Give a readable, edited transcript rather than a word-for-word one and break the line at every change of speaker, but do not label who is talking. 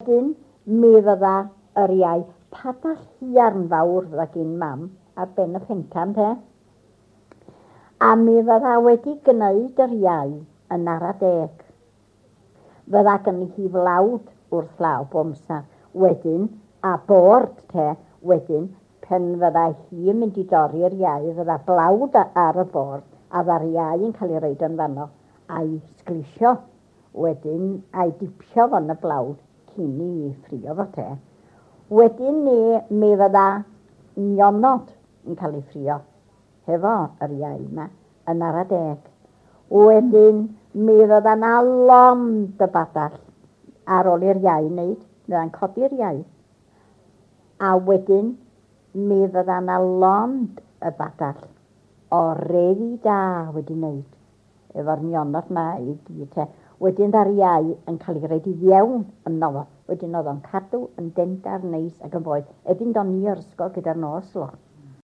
Wedyn mi fydda yr iau padall hiarn fawr fydda gin mam ar ben y pentan te. A mi fydda wedi gneud yr iau yn ara deg. Fydda gynni hi flawd wrth law bob amsar. Wedyn, a bord te, wedyn, pen fydda hi yn mynd i dorri'r iau, fydda blawd ar y bord, a fydda'r iau yn cael ei roid yn fanno, a'i sglisio wedyn, a'i dipio fo yn y blawd cyn i ffrio fo te. Wedyn ni, mi fydda nionod yn cael ei ffrio hefo yr iau 'ma yn ara deg. Wedyn mi fydda 'na lond y badell ar ôl i'r iau wneud, mi fydda'n codi'r iau. A wedyn mi fydda 'na lond y badell o refi da wedi wneud efo'r nionod 'ma i gyd te. Wedyn dda'r iau yn cael ei roid i fewn yno fo. Wedyn oedd o'n cadw yn dendar neis ac yn boeth. Erbyn do'n i o'r ysgol gyda'r nos lo.